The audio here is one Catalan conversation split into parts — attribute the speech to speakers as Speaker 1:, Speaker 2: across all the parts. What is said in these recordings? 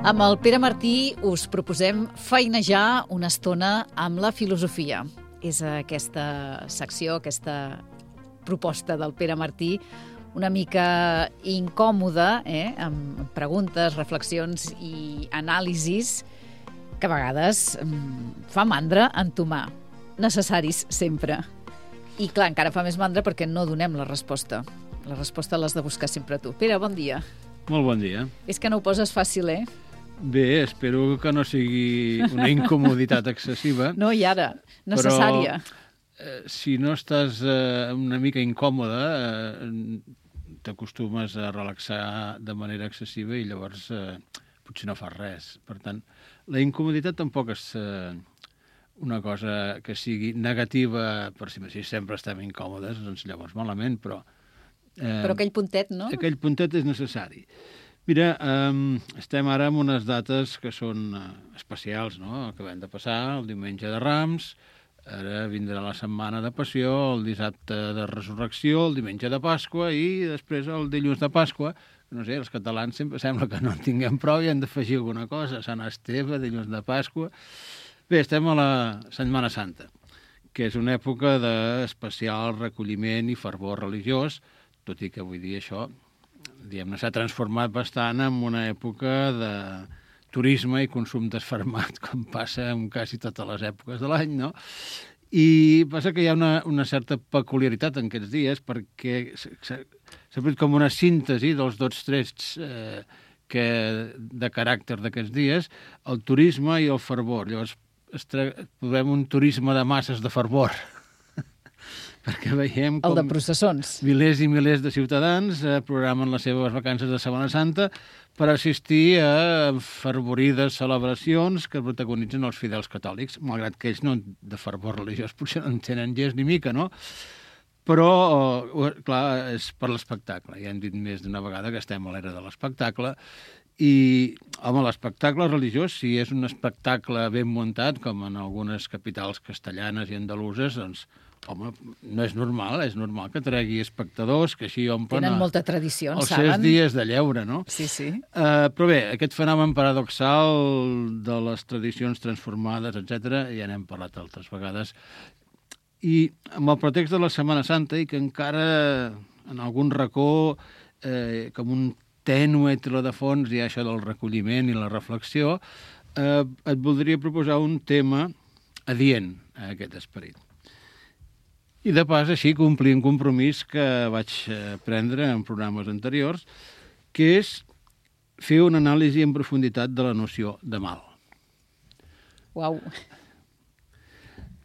Speaker 1: Amb el Pere Martí us proposem feinejar una estona amb la filosofia. És aquesta secció, aquesta proposta del Pere Martí, una mica incòmoda, amb preguntes, reflexions i anàlisis que a vegades fa mandra entomar. Necessaris sempre. I clar, encara fa més mandra perquè no donem la resposta. La resposta l'has de buscar sempre tu. Pere, bon dia.
Speaker 2: Molt bon dia.
Speaker 1: És que no ho poses fàcil,
Speaker 2: Bé, espero que no sigui una incomoditat excessiva.
Speaker 1: No, i ara, necessària.
Speaker 2: Però si no estàs una mica incòmoda, t'acostumes a relaxar de manera excessiva i llavors potser no fas res. Per tant, la incomoditat tampoc és una cosa que sigui negativa per si mateix. Sempre estem incòmodes, doncs llavors malament, però...
Speaker 1: Però aquell puntet, no?
Speaker 2: Aquell puntet és necessari. Mira, estem ara en unes dates que són especials, no? Acabem de passar el diumenge de Rams, ara vindrà la setmana de Passió, el dissabte de Resurrecció, el diumenge de Pasqua i després el dilluns de Pasqua. No sé, els catalans sempre sembla que no en tinguem prou i han d'afegir alguna cosa. Sant Esteve, dilluns de Pasqua... Bé, estem a la Setmana Santa, que és una època d'especial recolliment i fervor religiós, tot i que vull dir això, diguem-ne, s'ha transformat bastant en una època de turisme i consum desfermat, com passa en quasi totes les èpoques de l'any, no? I passa que hi ha una certa peculiaritat en aquests dies perquè s'ha fet com una síntesi dels dos trets de caràcter d'aquests dies, el turisme i el fervor. Llavors, trobem un turisme de masses de fervor, perquè veiem com...
Speaker 1: El de processons.
Speaker 2: Milers i milers de ciutadans programen les seves vacances de Setmana Santa per assistir a fervorides celebracions que protagonitzen els fidels catòlics, malgrat que ells no de fervor religiós potser no en tenen gens ni mica, no? Però, clar, és per l'espectacle. Ja hem dit més d'una vegada que estem a l'era de l'espectacle i, home, l'espectacle religiós, si és un espectacle ben muntat, com en algunes capitals castellanes i andaluses, doncs, home, no és normal que tregui espectadors, que així omplen...
Speaker 1: Tenen molta tradició,
Speaker 2: els
Speaker 1: saben?
Speaker 2: seus dies de lleure, no?
Speaker 1: Sí, sí.
Speaker 2: Però bé, aquest fenomen paradoxal de les tradicions transformades, etc., ja n'hem parlat altres vegades, i amb el pretext de la Setmana Santa, i que encara en algun racó, com un tènue tela de fons, hi ha això del recolliment i la reflexió, et voldria proposar un tema adient a aquest esperit. I de pas, així, complir un compromís que vaig prendre en programes anteriors, que és fer una anàlisi en profunditat de la noció de mal.
Speaker 1: Uau!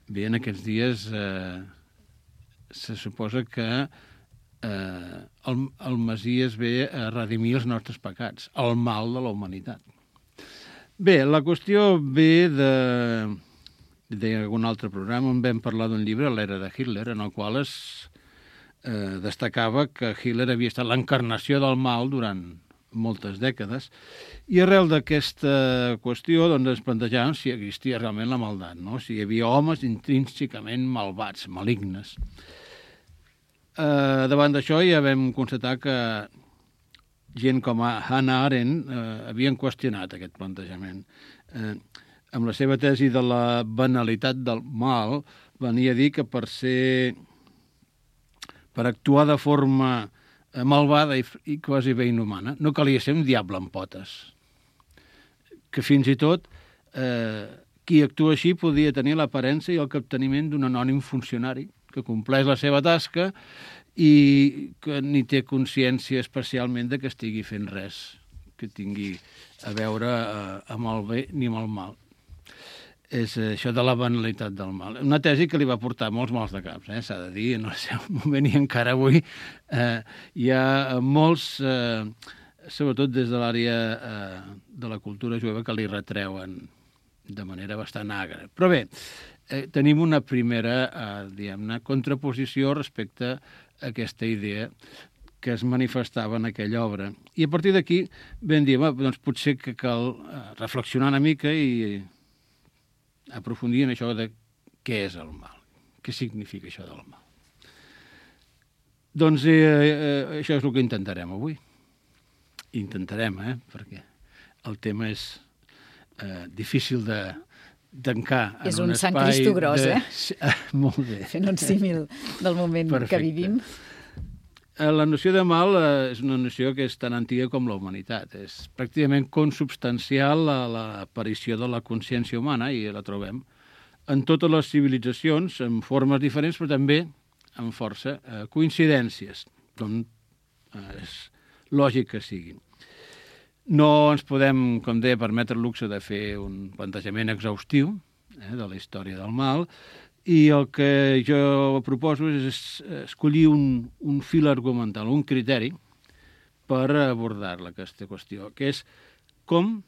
Speaker 2: Bé, en aquests dies se suposa que el Messies ve a redimir els nostres pecats, el mal de la humanitat. Bé, la qüestió ve d'algun altre programa on vam parlar d'un llibre, l'era de Hitler, en el qual es destacava que Hitler havia estat l'encarnació del mal durant moltes dècades, i arrel d'aquesta qüestió doncs, ens plantejàvem si existia realment la maldat, no? Si hi havia homes intrínsecament malvats, malignes. Davant d'això ja vam constatar que gent com Hannah Arendt havien qüestionat aquest plantejament. Amb la seva tesi de la banalitat del mal, venia a dir que per actuar de forma malvada i quasi bé inhumana, no calia ser un diable amb potes. Que fins i tot qui actua així podia tenir l'aparença i el capteniment d'un anònim funcionari que compleix la seva tasca i que ni té consciència especialment de que estigui fent res que tingui a veure amb el bé ni amb el mal. És això de la banalitat del mal. Una tesi que li va portar molts mals de caps, s'ha de dir, en el seu moment, i encara avui hi ha molts, sobretot des de l'àrea de la cultura jueva, que li retreuen de manera bastant agra. Però bé, tenim una primera, diguem-ne, contraposició respecte a aquesta idea que es manifestava en aquella obra. I a partir d'aquí vam dir, doncs potser que cal reflexionar una mica i aprofundir en això de què és el mal, què significa això del mal. Doncs això és el que intentarem avui. Intentarem, perquè el tema és difícil de tancar en
Speaker 1: és
Speaker 2: un
Speaker 1: Sant
Speaker 2: espai...
Speaker 1: Cristo gros,
Speaker 2: Molt bé.
Speaker 1: Fent un símil del moment que vivim.
Speaker 2: La noció de mal és una noció que és tan antiga com la humanitat. És pràcticament consubstancial a l'aparició de la consciència humana, i la trobem en totes les civilitzacions, en formes diferents, però també amb força coincidències, com és lògic que siguin. No ens podem, com deia, permetre el luxe de fer un plantejament exhaustiu de la història del mal, i el que jo proposo és escollir un fil argumental, un criteri per abordar-la, aquesta qüestió, que és com,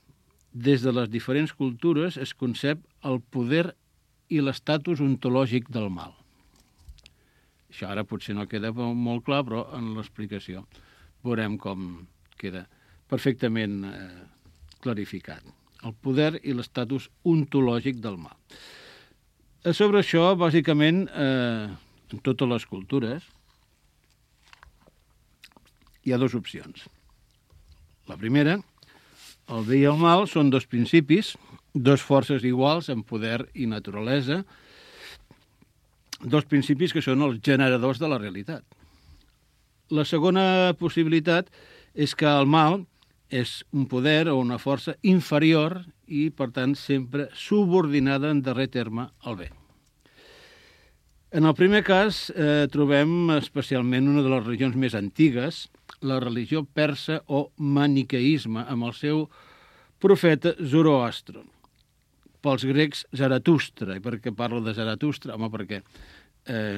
Speaker 2: des de les diferents cultures, es concep el poder i l'estatus ontològic del mal. Això ara potser no queda molt clar, però en l'explicació veurem com queda perfectament clarificat. El poder i l'estatus ontològic del mal. Sobre això, bàsicament, en totes les cultures, hi ha dues opcions. La primera, el bé i el mal són dos principis, dos forces iguals en poder i naturalesa, dos principis que són els generadors de la realitat. La segona possibilitat és que el mal és un poder o una força inferior i, per tant, sempre subordinada en darrer terme al bé. En el primer cas, trobem especialment una de les religions més antigues, la religió persa o maniqueisme, amb el seu profeta Zoroastro. Pels grecs, Zaratustra. I per què parlo de Zaratustra? Home, perquè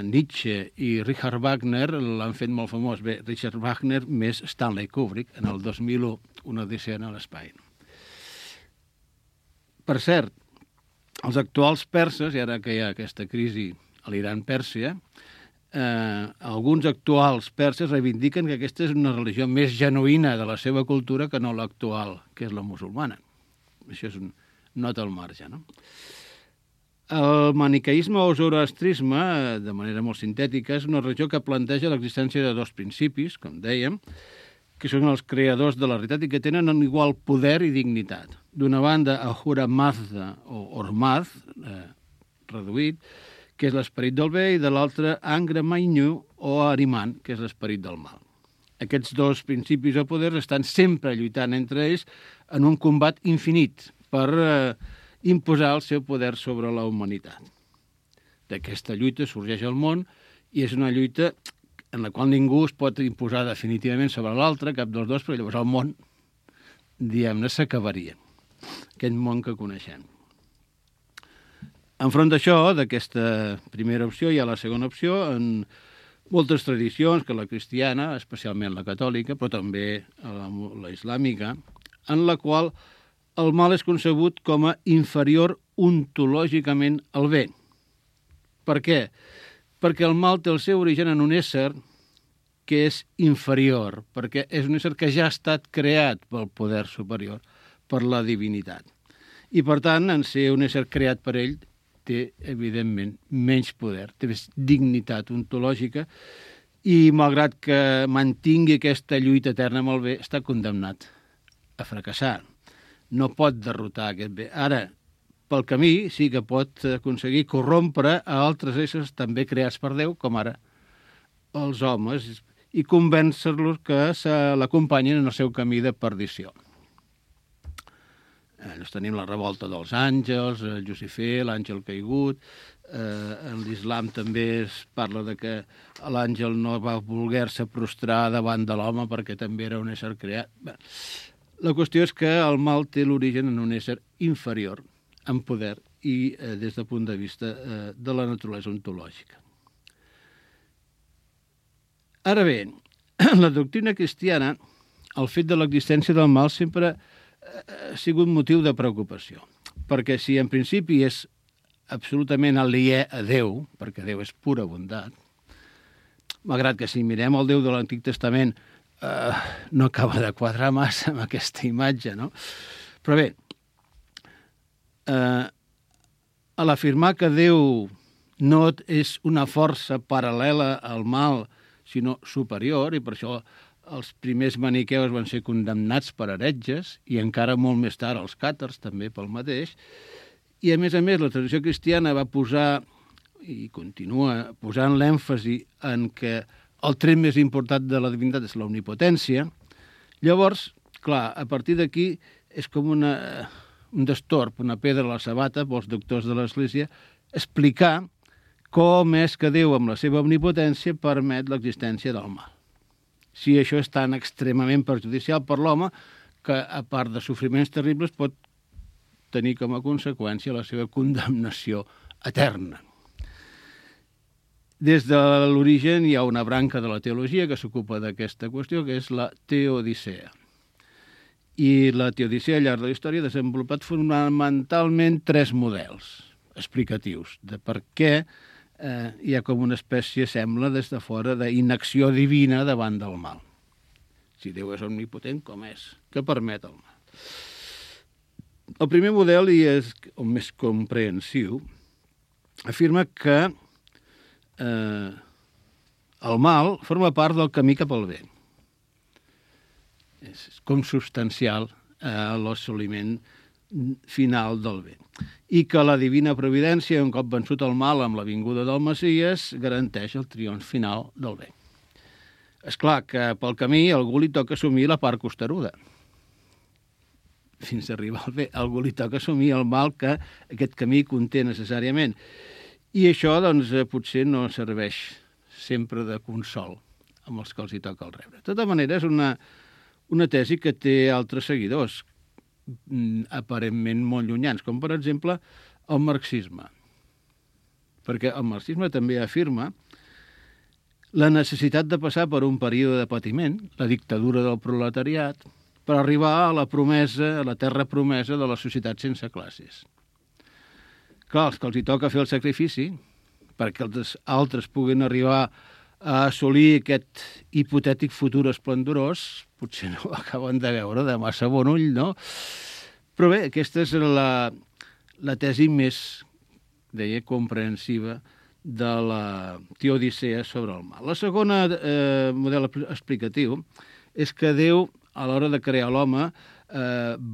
Speaker 2: Nietzsche i Richard Wagner l'han fet molt famós. Bé, Richard Wagner més Stanley Kubrick, en el 2001, una odissea a l'espai. Per cert, els actuals perses, i ara que hi ha aquesta crisi a l'Iran-Pèrsia, alguns actuals perses reivindiquen que aquesta és una religió més genuïna de la seva cultura que no l'actual, que és la musulmana. Això és un nota al marge, no? El maniqueisme o zoroastrisme, de manera molt sintètica, és una religió que planteja l'existència de dos principis, com dèiem, que són els creadors de la realitat i que tenen un igual poder i dignitat. D'una banda, Ahura Mazda o Ormazd, reduït, que és l'esperit del bé, i de l'altra, Angra Mainyu o Ahriman, que és l'esperit del mal. Aquests dos principis o poders estan sempre lluitant entre ells en un combat infinit per imposar el seu poder sobre la humanitat. D'aquesta lluita sorgeix el món i és una lluita en la qual ningú es pot imposar definitivament sobre l'altre, cap dels dos, però llavors el món, diguem-ne, s'acabaria. Aquest món que coneixem. Enfront d'això, d'aquesta primera opció, hi ha la segona opció, en moltes tradicions, que la cristiana, especialment la catòlica, però també la islàmica, en la qual el mal és concebut com a inferior ontològicament al bé. Per què? Perquè el mal té el seu origen en un ésser que és inferior, perquè és un ésser que ja ha estat creat pel poder superior, per la divinitat. I, per tant, en ser un ésser creat per ell, té, evidentment, menys poder, té més dignitat ontològica i, malgrat que mantingui aquesta lluita eterna amb el bé, està condemnat a fracassar. No pot derrotar aquest bé. Ara, pel camí, sí que pot aconseguir corrompre a altres éssers també creats per Déu, com ara els homes, i convèncer-los que se l'acompanyin en el seu camí de perdició. Llavors tenim la revolta dels àngels, Llucifer, l'àngel caigut. En l'islam també es parla de que l'àngel no va voler-se prostrar davant de l'home perquè també era un ésser creat. La qüestió és que el mal té l'origen en un ésser inferior en poder i des del punt de vista de la naturalesa ontològica. Ara bé, en la doctrina cristiana, el fet de l'existència del mal sempre ha sigut motiu de preocupació, perquè si en principi és absolutament aliè a Déu, perquè Déu és pura bondat, malgrat que si mirem el Déu de l'Antic Testament no acaba de quadrar massa amb aquesta imatge, no? Però bé, a l'afirmar que Déu no és una força paral·lela al mal, sinó superior, i per això els primers maniqueus van ser condemnats per heretges i encara molt més tard els càtars també pel mateix. I a més, la tradició cristiana va posar i continua posant l'èmfasi en que el tret més important de la divinitat és l'omnipotència. Llavors, clar, a partir d'aquí és com un destorb, una pedra a la sabata pels doctors de l'Església, explicar com és que Déu, amb la seva omnipotència, permet l'existència del mal. Si això és tan extremament perjudicial per l'home que, a part de sofriments terribles, pot tenir com a conseqüència la seva condemnació eterna. Des de l'origen hi ha una branca de la teologia que s'ocupa d'aquesta qüestió, que és la teodicea. I la teodicea, al llarg de la història, ha desenvolupat fonamentalment 3 models explicatius de per què hi ha com una espècie, sembla, des de fora, d'inacció divina davant del mal. Si Déu és omnipotent, com és? Què permet el mal? El primer model, i és el més comprensiu, afirma que el mal forma part del camí cap al bé. És com substancial a l'assoliment final del bé. I que la divina providència, un cop vençut el mal amb la vinguda del Messies, garanteix el triomf final del bé. És clar que pel camí a algú li toca assumir la part costeruda. Fins a arribar al bé, a algú li toca assumir el mal que aquest camí conté necessàriament. I això, doncs, potser no serveix sempre de consol amb els que els hi toca el rebre. De tota manera, és una tesi que té altres seguidors, aparentment molt llunyans, com per exemple el marxisme. Perquè el marxisme també afirma la necessitat de passar per un període de patiment, la dictadura del proletariat, per arribar a la promesa, a la terra promesa de la societat sense classes. Clar, els que els hi toca fer el sacrifici perquè els altres puguin arribar a assolir aquest hipotètic futur esplendorós, potser no ho acaben de veure de massa bon ull, no? Però bé, aquesta és la tesi més, deia, comprensiva de la teodicea sobre el mal. La segona model explicatiu és que Déu, a l'hora de crear l'home,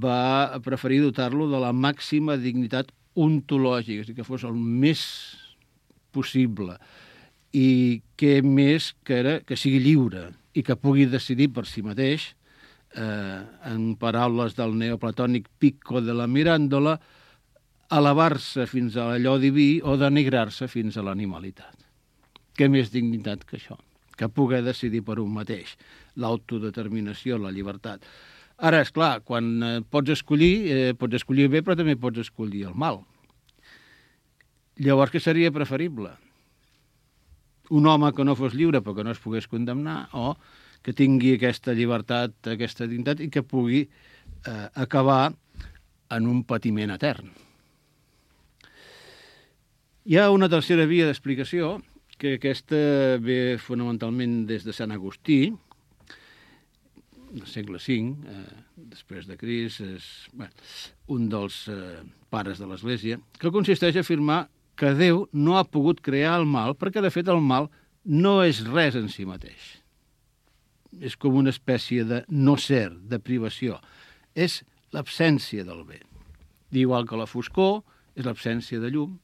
Speaker 2: va preferir dotar-lo de la màxima dignitat ontològica, és a dir, que fos el més possible i que més que sigui lliure i que pugui decidir per si mateix, en paraules del neoplatònic Pico de la Mirandola, elevar-se fins a allò diví o denigrar-se fins a l'animalitat. Què més dignitat que això? Que poder decidir per un mateix, l'autodeterminació, la llibertat. Ara, és clar, quan pots escollir el bé, però també pots escollir el mal. Llavors, què seria preferible? Un home que no fos lliure però que no es pogués condemnar, o que tingui aquesta llibertat, aquesta dignitat, i que pugui acabar en un patiment etern. Hi ha una tercera via d'explicació, que aquesta ve fonamentalment des de Sant Agustí, del segle V, després de Crist, és un dels pares de l'Església, que consisteix a afirmar que Déu no ha pogut crear el mal perquè, de fet, el mal no és res en si mateix. És com una espècie de no ser, de privació. És l'absència del bé. Igual que la foscor és l'absència de llum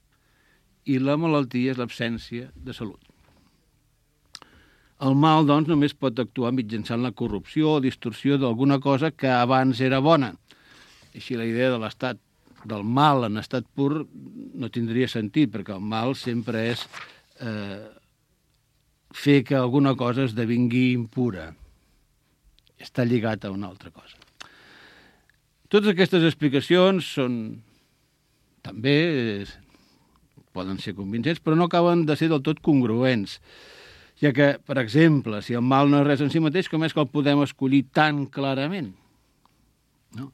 Speaker 2: i la malaltia és l'absència de salut. El mal, doncs, només pot actuar mitjançant la corrupció o distorsió d'alguna cosa que abans era bona. Així la idea de l'estat del mal en estat pur no tindria sentit, perquè el mal sempre és fer que alguna cosa esdevingui impura. Està lligat a una altra cosa. Totes aquestes explicacions són també poden ser convincents, però no acaben de ser del tot congruents. Ja que, per exemple, si el mal no és res en si mateix, com és que el podem escollir tan clarament? No?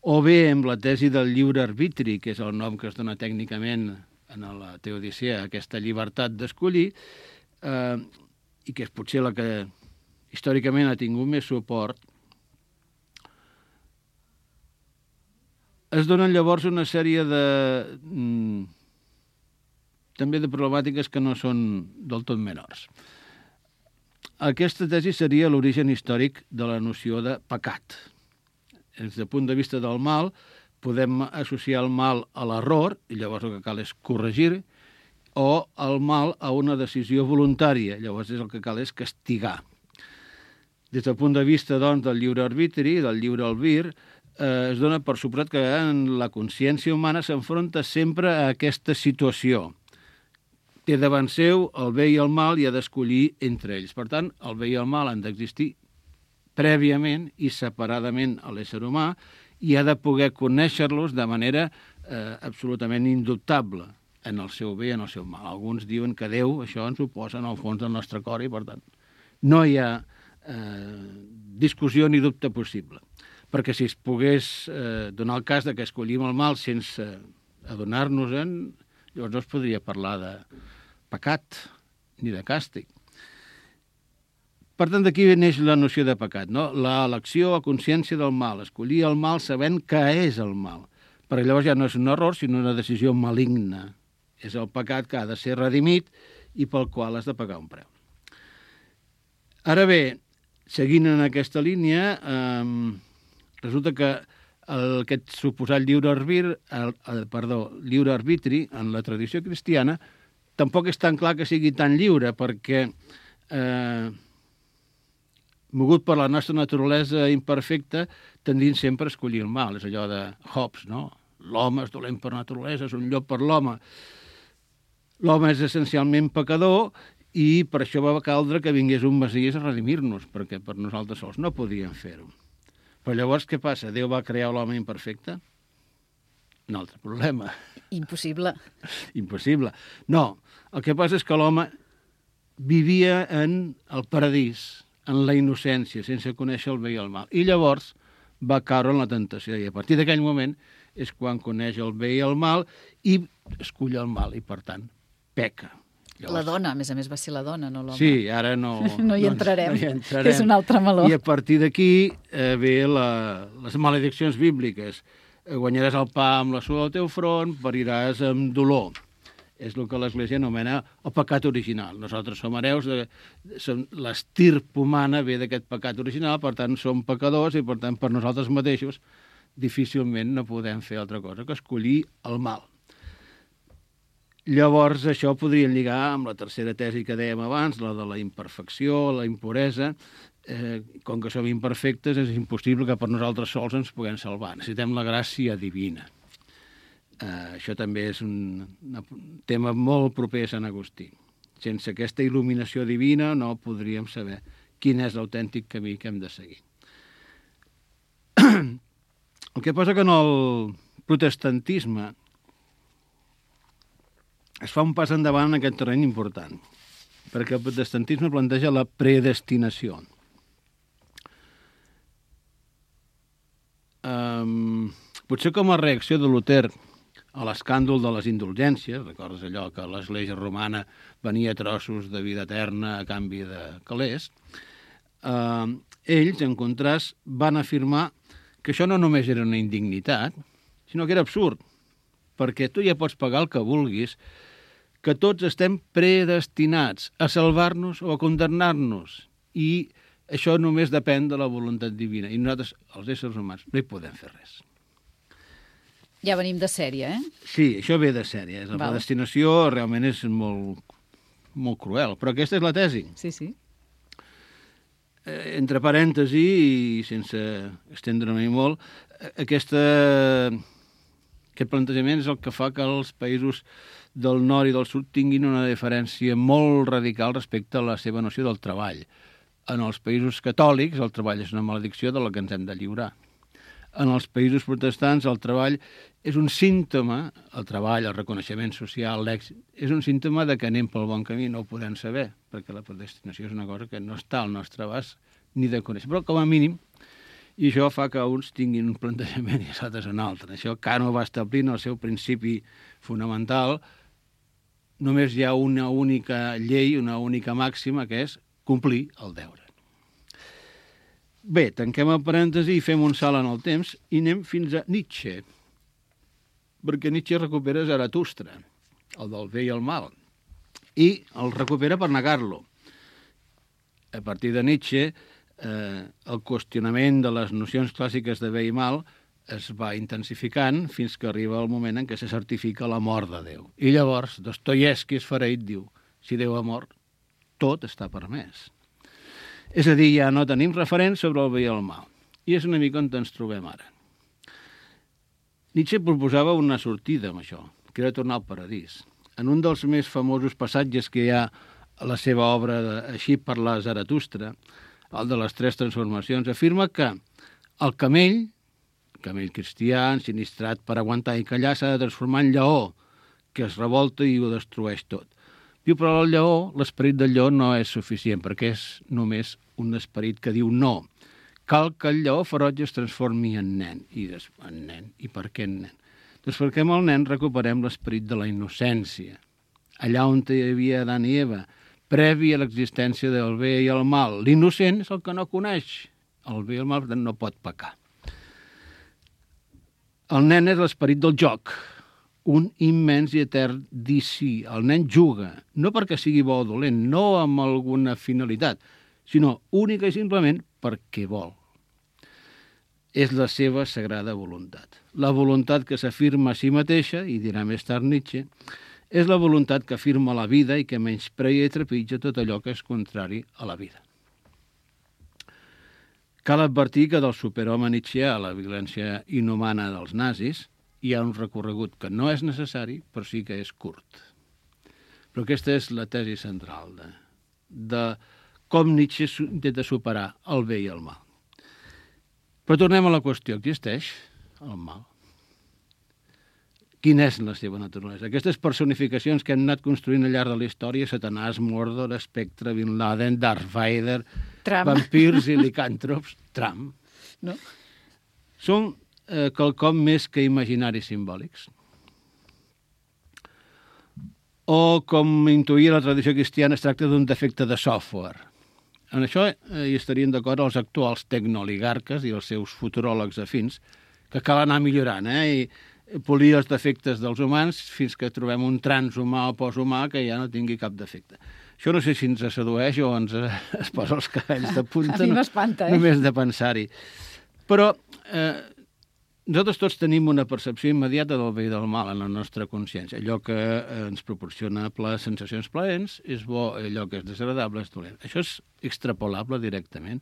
Speaker 2: O bé, amb la tesi del lliure arbitri, que és el nom que es dona tècnicament en la teodicea, aquesta llibertat d'escollir, i que és potser la que històricament ha tingut més suport, es donen llavors una sèrie també de problemàtiques que no són del tot menors. aquesta tesi seria l'origen històric de la noció de pecat. Des del punt de vista del mal, podem associar el mal a l'error, i llavors el que cal és corregir, o el mal a una decisió voluntària, llavors el que cal és castigar. Des del punt de vista, doncs, del lliure arbitri, del lliure albir, es dona per suposat que la consciència humana s'enfronta sempre a aquesta situació. Té davant seu el bé i el mal i ha d'escollir entre ells. Per tant, el bé i el mal han d'existir prèviament i separadament a l'ésser humà i ha de poder conèixer-los de manera absolutament indubtable en el seu bé i en el seu mal. Alguns diuen que Déu això ens ho posa en el fons del nostre cor i, per tant, no hi ha discussió ni dubte possible. Perquè si es pogués donar el cas de que escollim el mal sense adonar-nos-en, llavors no es podria parlar de pecat ni de càstig. Per tant, d'aquí neix la noció de pecat, no? L'elecció a consciència del mal, escollir el mal sabent que és el mal. Perquè llavors ja no és un error, sinó una decisió maligna. És el pecat que ha de ser redimit i pel qual has de pagar un preu. Ara bé, seguint en aquesta línia, resulta que aquest suposat lliure arbitri en la tradició cristiana tampoc és tan clar que sigui tan lliure, perquè mogut per la nostra naturalesa imperfecta, tendim sempre a escollir el mal. És allò de Hobbes, no? L'home és dolent per naturalesa, és un llop per l'home. L'home és essencialment pecador i per això va caldre que vingués un Messies a redimir-nos, perquè per nosaltres sols no podíem fer-ho. Però llavors què passa? Déu va crear l'home imperfecte? Un altre problema.
Speaker 1: Impossible.
Speaker 2: Impossible. No, el que passa és que l'home vivia en el paradís, en la innocència, sense conèixer el bé i el mal. I llavors va caure en la tentació. I a partir d'aquell moment és quan coneix el bé i el mal i escull el mal i, per tant, peca.
Speaker 1: Llavors... La dona, a més, va ser la dona, no l'home.
Speaker 2: Sí, ara no...
Speaker 1: No hi entrarem, que és un altre meló.
Speaker 2: I a partir d'aquí ve les malediccions bíbliques. Guanyaràs el pa amb la suor del teu front, pariràs amb dolor. És el que l'Església anomena el pecat original. Nosaltres som hereus, l'estirp humana ve d'aquest pecat original, per tant som pecadors i per tant per nosaltres mateixos difícilment no podem fer altra cosa que escollir el mal. Llavors això podria lligar amb la tercera tesi que dèiem abans, la de la imperfecció, la impuresa. Com que som imperfectes és impossible que per nosaltres sols ens puguem salvar. Necessitem la gràcia divina. Això també és un tema molt proper a Sant Agustí. Sense aquesta il·luminació divina no podríem saber quin és l'autèntic camí que hem de seguir. El que passa que en el protestantisme es fa un pas endavant en aquest terreny important, perquè el protestantisme planteja la predestinació. Potser com a reacció de Luter a l'escàndol de les indulgències, recordes allò que l'Església romana venia trossos de vida eterna a canvi de calés, ells, en contrast, van afirmar que això no només era una indignitat, sinó que era absurd, perquè tu ja pots pagar el que vulguis, que tots estem predestinats a salvar-nos o a condemnar-nos, i això només depèn de la voluntat divina, i nosaltres, els éssers humans, no hi podem fer res.
Speaker 1: Ja venim de sèrie,
Speaker 2: Sí, això ve de sèrie. La predestinació realment és molt, molt cruel, però aquesta és la tesi.
Speaker 1: Sí, sí.
Speaker 2: Entre parèntesi, i sense estendre-m'hi molt, aquest plantejament és el que fa que els països del nord i del sud tinguin una diferència molt radical respecte a la seva noció del treball. En els països catòlics el treball és una maledicció de la que ens hem de lliurar. En els països protestants el treball és un símptoma, el treball, el reconeixement social, l'èxit, és un símptoma de que anem pel bon camí, no ho podem saber, perquè la predestinació és una cosa que no està al nostre abast ni de conèixer. Però com a mínim, i això fa que uns tinguin un plantejament i els altres un altre. Això Cano va establir en el seu principi fonamental, només hi ha una única llei, una única màxima, que és complir el deure. Bé, tanquem el parèntesi i fem un salt en el temps i anem fins a Nietzsche, perquè Nietzsche recupera Zaratustra, el del bé i el mal, i el recupera per negar-lo. A partir de Nietzsche, el qüestionament de les nocions clàssiques de bé i mal es va intensificant fins que arriba el moment en què se certifica la mort de Déu. I llavors Dostoievski, esfereït, diu: si Déu ha mort, tot està permès. És a dir, ja no tenim referents sobre el bé i el mal. I és una mica on ens trobem ara. Nietzsche proposava una sortida amb això, que era tornar al paradís. En un dels més famosos passatges que hi ha a la seva obra Així parla Zaratustra, el de les 3 transformacions, afirma que el camell cristià, ensinistrat per aguantar i callar, s'ha de transformar en lleó, que es revolta i ho destrueix tot. Diu, però el lleó, l'esperit del lleó no és suficient, perquè és només un esperit que diu no. Cal que el lleó ferotge es transformi en nen. I per què en nen? Doncs perquè amb el nen recuperem l'esperit de la innocència. Allà on hi havia Adán i Eva, previ a l'existència del bé i el mal. L'innocent és el que no coneix el bé i el mal, per tant no pot pecar. El nen és l'esperit del joc, un immens i etern dir sí. El nen juga, no perquè sigui bo o dolent, no amb alguna finalitat, sinó única i simplement perquè vol. És la seva sagrada voluntat. La voluntat que s'afirma a si mateixa, i dirà més tard Nietzsche, és la voluntat que afirma la vida i que menyspreia i trepitja tot allò que és contrari a la vida. Cal advertir que del superhome nietzscheà a la violència inhumana dels nazis hi ha un recorregut que no és necessari, però sí que és curt. Però aquesta és la tesi central de com Nietzsche intenta superar el bé i el mal. Però tornem a la qüestió. Existeix el mal? Quina és la seva naturalesa? Aquestes personificacions que hem anat construint al llarg de la història, Satanàs, Mordor, Espectre, Bin Laden, Darth Vader, vampirs i licàntrops, Trump,
Speaker 1: no?
Speaker 2: Són quelcom més que imaginaris simbòlics. O, com intuïa la tradició cristiana, es tracta d'un defecte de software. En això hi estarien d'acord els actuals tecnooligarques i els seus futuròlegs afins, que cal anar millorant, i polir els defectes dels humans fins que trobem un transhumà o posthumà que ja no tingui cap defecte. Això no sé si ens sedueix o ens es posa els cabells de punta.
Speaker 1: A mi m'espanta,
Speaker 2: Només de pensar-hi. Però nosaltres tots tenim una percepció immediata del bé i del mal en la nostra consciència. Allò que ens proporciona sensacions plaents és bo, allò que és desagradable és dolent. Això és extrapolable directament.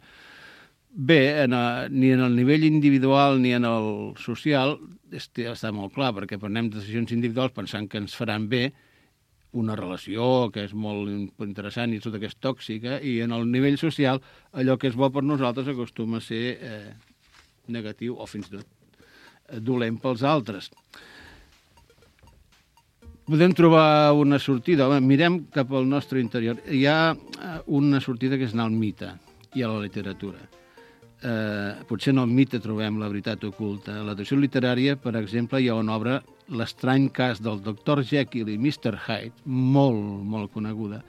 Speaker 2: Bé, ni en el nivell individual ni en el social està molt clar, perquè prenem decisions individuals pensant que ens faran bé una relació que és molt interessant i tota que és tòxica, i en el nivell social allò que és bo per nosaltres acostuma a ser negatiu o fins i tot dolent pels altres. Podem trobar una sortida. Home, mirem cap al nostre interior. Hi ha una sortida que és anar al mite i a la literatura. Potser en el mite trobem la veritat oculta. A la tradició literària, per exemple, hi ha una obra, L'estrany cas del Dr. Jekyll i Mr. Hyde, molt, molt coneguda,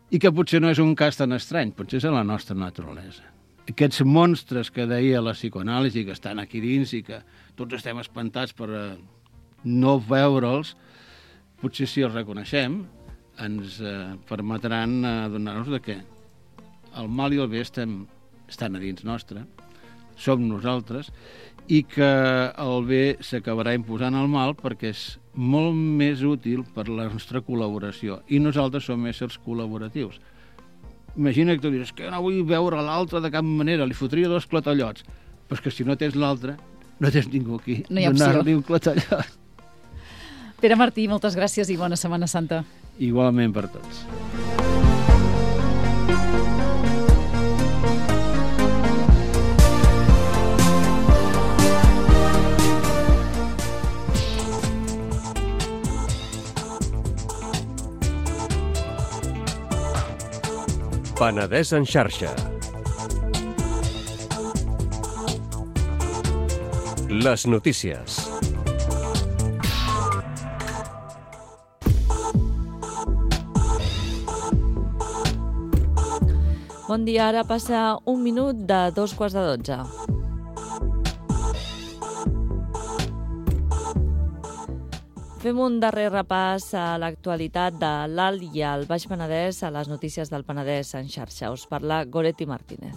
Speaker 2: i que potser no és un cas tan estrany, potser és la nostra naturalesa. Aquests monstres que deia la psicoanàlisi, que estan aquí dins i que tots estem espantats per no veure'ls, potser si els reconeixem ens permetran adonar-nos que el mal i el bé estan a dins nostre, som nosaltres, i que el bé s'acabarà imposant al mal perquè és molt més útil per la nostra col·laboració, i nosaltres som éssers col·laboratius. Imagina que tu dius que no vull veure l'altre de cap manera, li fotria 2 clatallots, però és que si no tens l'altre, no tens ningú aquí.
Speaker 1: No hi ha opció.
Speaker 2: Donar-li un clatallot.
Speaker 1: Pere Martí, moltes gràcies i bona Setmana Santa.
Speaker 2: Igualment per tots.
Speaker 3: Penedès en xarxa. Les notícies.
Speaker 4: Bon dia, ara passa 1 minut de 2:15. Fem un darrer repàs a l'actualitat de l'Alt i el Baix Penedès a les notícies del Penedès en xarxa. Us parla Goretti Martínez.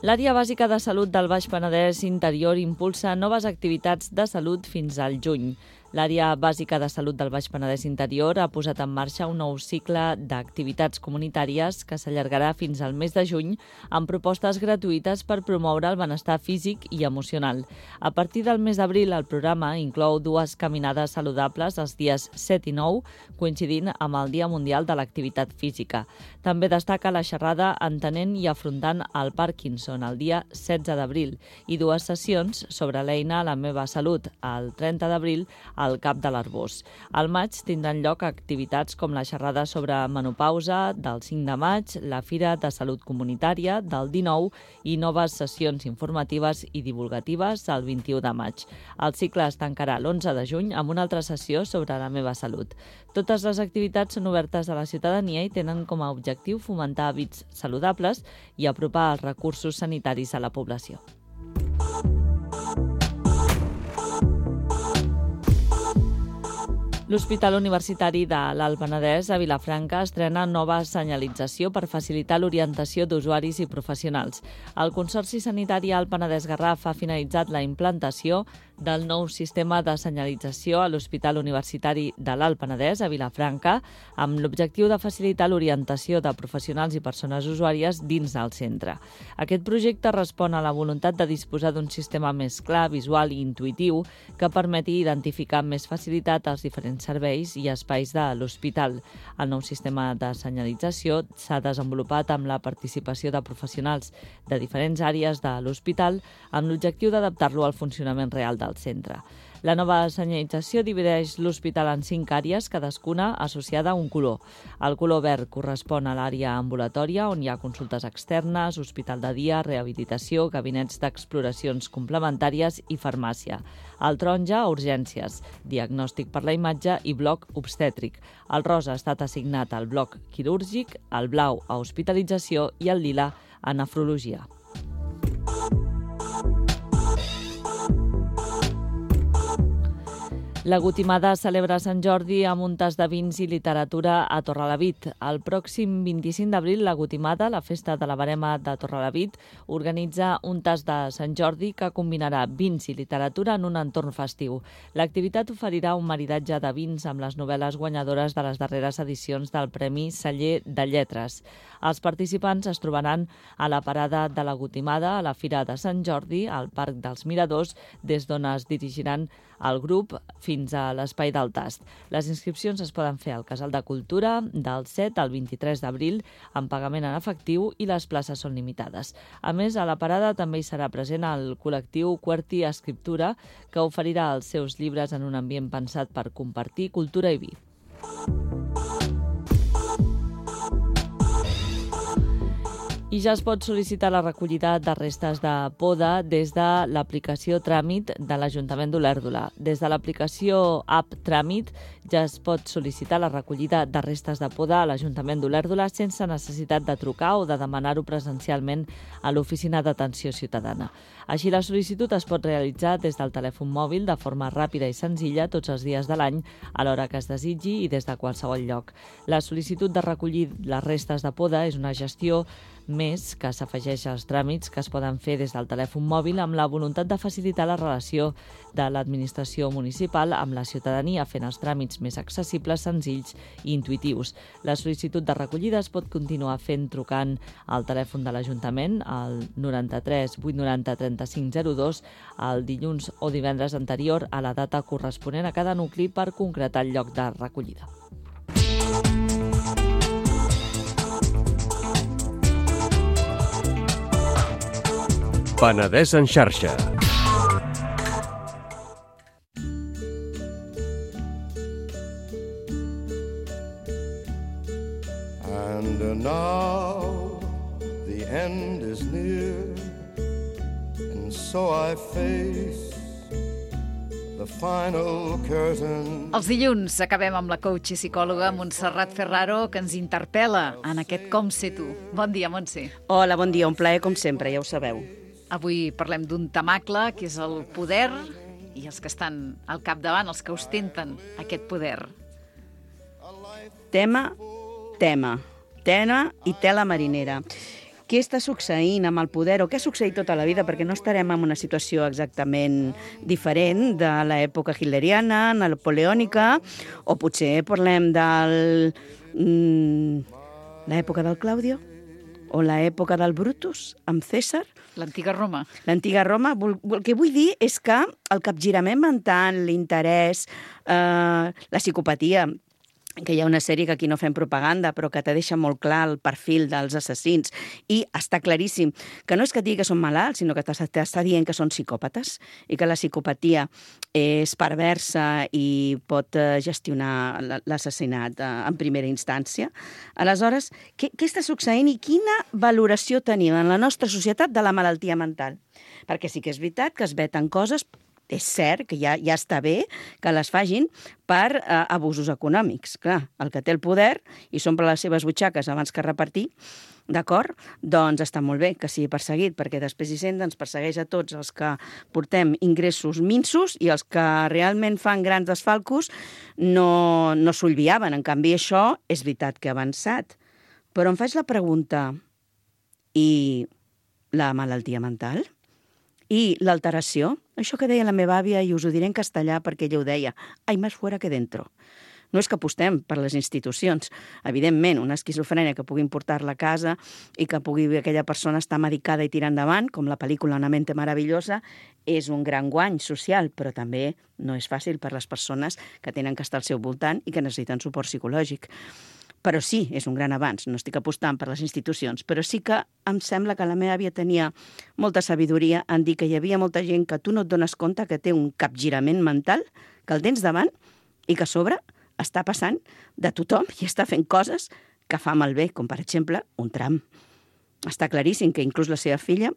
Speaker 4: L'Àrea Bàsica de Salut del Baix Penedès Interior impulsa noves activitats de salut fins al juny. L'Àrea Bàsica de Salut del Baix Penedès Interior ha posat en marxa un nou cicle d'activitats comunitàries que s'allargarà fins al mes de juny amb propostes gratuïtes per promoure el benestar físic i emocional. A partir del mes d'abril, el programa inclou 2 caminades saludables els dies 7 i 9, coincidint amb el Dia Mundial de l'Activitat Física. També destaca la xerrada Entenent i afrontant el Parkinson el dia 16 d'abril i 2 sessions sobre l'eina La meva salut el 30 d'abril al Cap de l'Arbós. Al maig tindran lloc activitats com la xerrada sobre menopausa del 5 de maig, la Fira de Salut Comunitària del 19 i noves sessions informatives i divulgatives el 21 de maig. El cicle es tancarà l'11 de juny amb una altra sessió sobre la meva salut. Totes les activitats són obertes a la ciutadania i tenen com a objectiu fomentar hàbits saludables i apropar els recursos sanitaris a la població. L'Hospital Universitari de l'Alt Penedès a Vilafranca estrena nova senyalització per facilitar l'orientació d'usuaris i professionals. El Consorci Sanitari Alt Penedès-Garraf ha finalitzat la implantació del nou sistema de senyalització a l'Hospital Universitari de l'Alt Penedès a Vilafranca amb l'objectiu de facilitar l'orientació de professionals i persones usuàries dins del centre. Aquest projecte respon a la voluntat de disposar d'un sistema més clar, visual i intuïtiu que permeti identificar amb més facilitat els diferents serveis i espais de l'hospital. El nou sistema de senyalització s'ha desenvolupat amb la participació de professionals de diferents àrees de l'hospital amb l'objectiu d'adaptar-lo al funcionament real del centre. La nova senyalització divideix l'hospital en 5 àrees, cadascuna associada a un color. El color verd correspon a l'àrea ambulatòria, on hi ha consultes externes, hospital de dia, rehabilitació, gabinets d'exploracions complementàries i farmàcia. El taronja a urgències, diagnòstic per la imatge i bloc obstètric. El rosa ha estat assignat al bloc quirúrgic, el blau a hospitalització i el lila a nefrologia. La Gotimada celebra Sant Jordi amb un tas de vins i literatura a Torrelavit. El pròxim 25 d'abril, la Gotimada, la festa de la Verema de Torrelavit, organitza un tas de Sant Jordi que combinarà vins i literatura en un entorn festiu. L'activitat oferirà un maridatge de vins amb les novel·les guanyadores de les darreres edicions del Premi Celler de Lletres. Els participants es trobaran a la parada de la Gotimada, a la Fira de Sant Jordi, al Parc dels Miradors, des d'on es dirigiran el grup fins a l'Espai del Tast. Les inscripcions es poden fer al Casal de Cultura del 7 al 23 d'abril amb pagament en efectiu i les places són limitades. A més, a la parada també hi serà present el col·lectiu Querti Escriptura, que oferirà els seus llibres en un ambient pensat per compartir cultura i vi. I ja es pot sol·licitar la recollida de restes de poda des de l'aplicació Tràmit de l'Ajuntament d'Olèrdola. Des de l'aplicació App Tràmit ja es pot sol·licitar la recollida de restes de poda a l'Ajuntament d'Olèrdola sense necessitat de trucar o de demanar-ho presencialment a l'Oficina d'Atenció Ciutadana. Així, la sol·licitud es pot realitzar des del telèfon mòbil de forma ràpida i senzilla tots els dies de l'any, a l'hora que es desitgi i des de qualsevol lloc. La sol·licitud de recollir les restes de poda és una gestió més que s'afegeix als tràmits que es poden fer des del telèfon mòbil amb la voluntat de facilitar la relació de l'administració municipal amb la ciutadania, fent els tràmits més accessibles, senzills i intuïtius. La sol·licitud de recollida es pot continuar fent trucant al telèfon de l'Ajuntament, al 93 890 3502, el dilluns o divendres anterior a la data corresponent a cada nucli per concretar el lloc de recollida.
Speaker 3: Penedès en xarxa.
Speaker 5: And now the end is near, and so I face the final curtain.
Speaker 1: Els dilluns acabem amb la coach i psicòloga Montserrat Ferraro, que ens interpel·la en aquest Com ser tu. Bon dia, Montse.
Speaker 6: Hola, bon dia, un plaer com sempre, ja ho sabeu.
Speaker 1: Avui parlem d'un temacle, que és el poder, i els que estan al capdavant, els que ostenten aquest poder.
Speaker 6: Tema i tela marinera. Què està succeint amb el poder, o què ha succeït tota la vida, perquè no estarem en una situació exactament diferent de l'època hitleriana, napoleònica, o potser parlem de l'època del Claudio, o l'època del Brutus, amb Cèsar.
Speaker 1: L'antiga Roma.
Speaker 6: L'antiga Roma. El que vull dir és que el capgirament mental, l'interès, la psicopatia, que hi ha una sèrie que aquí no fem propaganda, però que te deixa molt clar el perfil dels assassins, i està claríssim que no és que digui que són malalts, sinó que t'està dient que són psicòpates, i que la psicopatia és perversa i pot gestionar l'assassinat en primera instància. Aleshores, què està succeint i quina valoració tenim en la nostra societat de la malaltia mental? Perquè sí que és veritat que es veten coses. És cert que ja està bé que les facin per abusos econòmics. Clar, el que té el poder i s'omple les seves butxaques abans que repartir, d'acord? Doncs està molt bé que sigui perseguit, perquè després Hisenda ens persegueix a tots els que portem ingressos minsos i els que realment fan grans desfalcos no s'olviaven. En canvi, això és veritat que ha avançat. Però em faig la pregunta, i la malaltia mental? I l'alteració? Això que deia la meva àvia, i us ho diré en castellà perquè ella ho deia, hay más fuera que dentro. No és que apostem per les institucions. Evidentment, una esquizofrènia que puguin portar-la a casa i que pugui aquella persona estar medicada i tirar endavant, com la pel·lícula Una mente maravillosa, és un gran guany social, però també no és fàcil per les persones que tenen que estar al seu voltant i que necessiten suport psicològic. Però sí, és un gran avanç. No estic apostant per les institucions, però sí que em sembla que la meva àvia tenia molta sabidoria en dir que hi havia molta gent que tu no et dones compte que té un capgirament mental, que el tens davant i que a sobre està passant de tothom i està fent coses que fa malbé, com per exemple un tram. Està claríssim que inclús la seva filla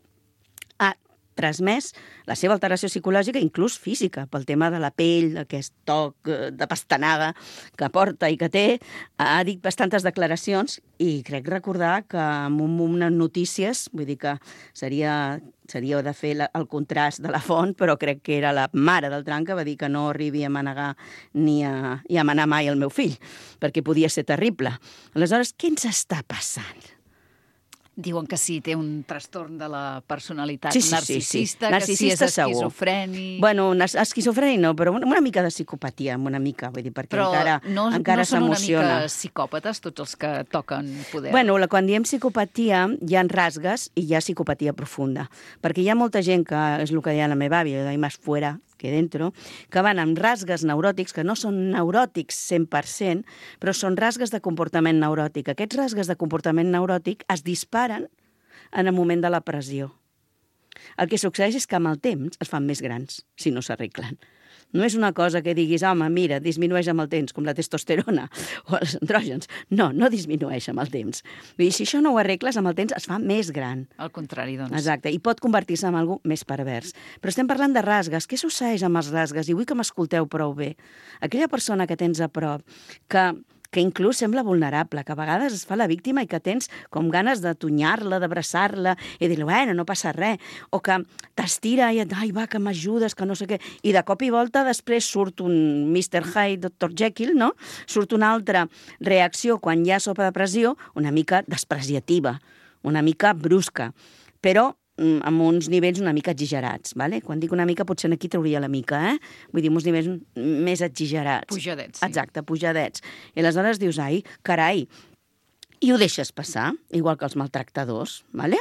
Speaker 6: ha transmès la seva alteració psicològica, inclús física, pel tema de la pell, d'aquest toc de pastanaga que porta i que té. Ha dit bastantes declaracions i crec recordar que amb unes notícies, vull dir que seria de fer el contrast de la font, però crec que era la mare del tram que va dir que no arribi a manegar ni a manar mai el meu fill, perquè podia ser terrible. Aleshores, què ens està passant?
Speaker 1: Diuen que sí, té un trastorn de la personalitat
Speaker 6: Sí.
Speaker 1: narcisista, que
Speaker 6: Narcisista,
Speaker 1: sí és esquizofrènic.
Speaker 6: Bueno, esquizofrènic no, però una mica de psicopatia, una mica, vull dir, perquè
Speaker 1: però
Speaker 6: encara s'emociona.
Speaker 1: No són una mica psicòpates tots els que toquen poder?
Speaker 6: Bueno, quan diem psicopatia, hi ha rasgues i hi ha psicopatia profunda, perquè hi ha molta gent que, és el que deia la meva àvia, hay más fuera que dentro, que van amb rasgues neuròtics, que no són neuròtics 100%, però són rasgues de comportament neuròtic. Aquests rasgues de comportament neuròtic es disparen en el moment de la pressió. El que succeeix és que amb el temps es fan més grans, si no s'arreglen. No és una cosa que diguis, home, mira, disminueix amb el temps, com la testosterona o els andrògens. No disminueix amb el temps. Vull dir, si això no ho arregles, amb el temps es fa més gran.
Speaker 1: Al contrari, doncs.
Speaker 6: Exacte, i pot convertir-se en algú més pervers. Però estem parlant de rasgues. Què succeeix amb els rasgues? I vull que m'escolteu prou bé. Aquella persona que tens a prop, que inclús sembla vulnerable, que a vegades es fa la víctima i que tens com ganes de tunyar-la, d'abraçar-la i dir-li, bueno, no passa res, o que t'estira i et, ai, va, que m'ajudes, que no sé què, i de cop i volta després surt un Mr. Hyde, Dr. Jekyll, no? Surt una altra reacció quan hi ha sopa de pressió, una mica despreciativa, una mica brusca, però amb uns nivells una mica exagerats, ¿vale? Quan dic una mica, potser aquí trauria la mica, Vull dir, uns nivells més exagerats.
Speaker 1: Pujadets, sí.
Speaker 6: Exacte, pujadets. I aleshores dius, ai, carai, i ho deixes passar, igual que els maltractadors, ¿vale?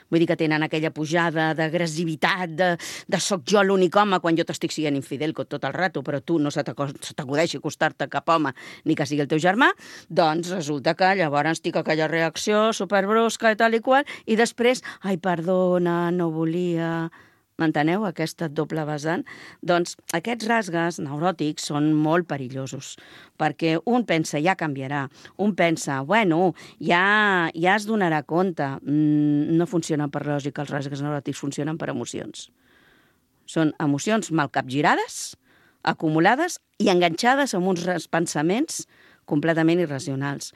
Speaker 6: Vull dir que tenen aquella pujada d'agressivitat, de soc jo l'únic home quan jo t'estic sent infidel tot el rato, però tu no se t'acudeixi acostar-te cap home ni que sigui el teu germà, doncs resulta que llavors tinc aquella reacció superbrusca i tal i qual, i després, ai, perdona, no volia... M'enteneu, aquesta doble vessant? Doncs aquests rasgues neuròtics són molt perillosos, perquè un pensa, ja canviarà, un pensa, bueno, ja es donarà compte. No funcionen per lògica, els rasgues neuròtics funcionen per emocions. Són emocions mal capgirades, acumulades i enganxades amb uns pensaments completament irracionals.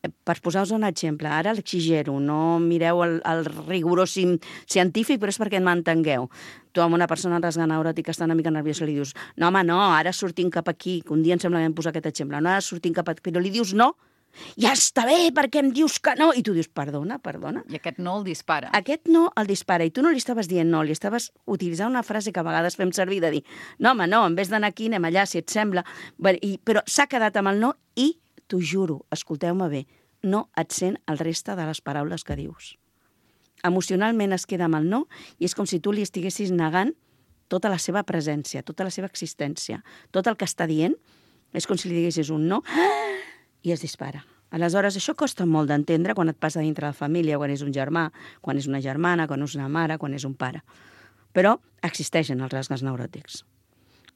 Speaker 6: per posar-vos un exemple, ara l'exigero, no mireu el rigorós científic, però és perquè m'entengueu. Tu amb una persona rasgant neuròtica està una mica nerviosa, li dius, no, home, no, ara sortim cap aquí, que un dia em sembla que vam posar aquest exemple, no, ara sortim cap aquí, però li dius no, ja està bé, perquè em dius que no, i tu dius, perdona.
Speaker 1: I aquest no el dispara.
Speaker 6: Aquest no el dispara, i tu no li estaves dient no, li estaves utilitzant una frase que a vegades fem servir de dir, no, home, no, en vez d'anar aquí anem allà, si et sembla, però s'ha quedat amb el no i t'ho juro, escolteu-me bé, no et sent el reste de les paraules que dius. Emocionalment es queda amb el no i és com si tu li estiguessis negant tota la seva presència, tota la seva existència. Tot el que està dient és com si li diguessis un no i es dispara. Aleshores, això costa molt d'entendre quan et passa dintre la família, quan és un germà, quan és una germana, quan és una mare, quan és un pare. Però existeixen els rasgues neuròtics.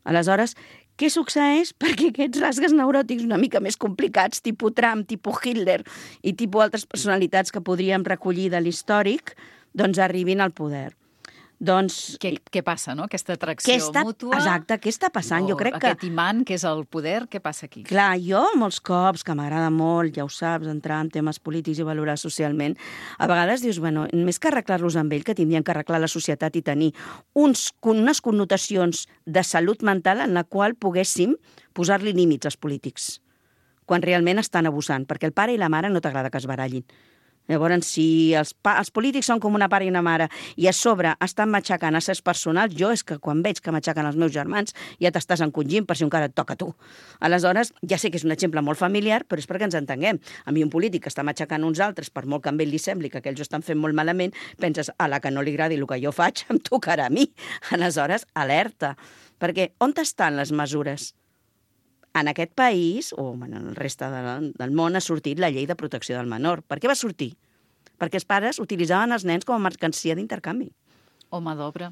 Speaker 6: Aleshores, què succeeix? Perquè aquests rasgues neuròtics una mica més complicats, tipus Trump, tipus Hitler i tipus altres personalitats que podríem recollir de l'històric, doncs arribin al poder. Doncs...
Speaker 1: Què passa, no? Aquesta atracció mútua...
Speaker 6: Exacte, què està passant? Jo crec que...
Speaker 1: Aquest imant, que és el poder, què passa aquí?
Speaker 6: Clar, jo molts cops, que m'agrada molt, ja ho saps, entrar en temes polítics i valorar socialment, a vegades dius, bueno, més que arreglar-los amb ell, que tindrien que arreglar la societat i tenir unes connotacions de salut mental en la qual poguéssim posar-li límits als polítics, quan realment estan abusant, perquè el pare i la mare no t'agrada que es barallin. Llavors, si els polítics són com una pare i una mare i a sobre estan matxacant a ses personals, jo és que quan veig que matxacen els meus germans ja t'estàs encongint per si encara et toca a tu. Aleshores, ja sé que és un exemple molt familiar, però és perquè ens entenguem. A mi un polític que està matxacant uns altres, per molt que a ell li sembli que aquells ho estan fent molt malament, penses, a la que no li agradi el que jo faig, em tocarà a mi. Aleshores, alerta. Perquè on estan les mesures? En aquest país, o en el reste del món, ha sortit la llei de protecció del menor. Per què va sortir? Perquè els pares utilitzaven els nens com a mercancia d'intercanvi.
Speaker 1: Home d'obra.